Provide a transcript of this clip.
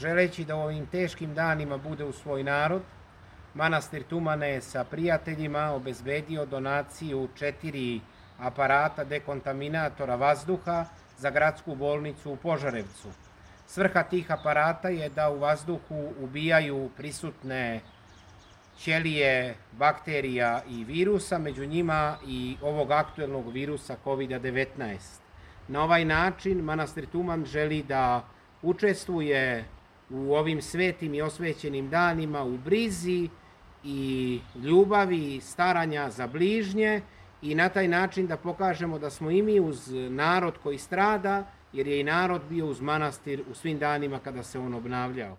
želeći da u ovim teškim danima bude uz svoj narod, manastir Tumane je sa prijateljima obezbedio donaciju 4 aparata dekontaminatora vazduha za gradsku bolnicu u Požarevcu. Svrha tih aparata je da u vazduhu ubijaju prisutne ćelije bakterija i virusa, među njima i ovog aktuelnog virusa COVID-19. Na ovaj način manastir Tuman želi da učestvuje u ovim svetim i osvećenim danima u brizi i ljubavi i staranja za bližnje i na taj način da pokažemo da smo i mi uz narod koji strada, jer je i narod bio uz manastir u svim danima kada se on obnavljao.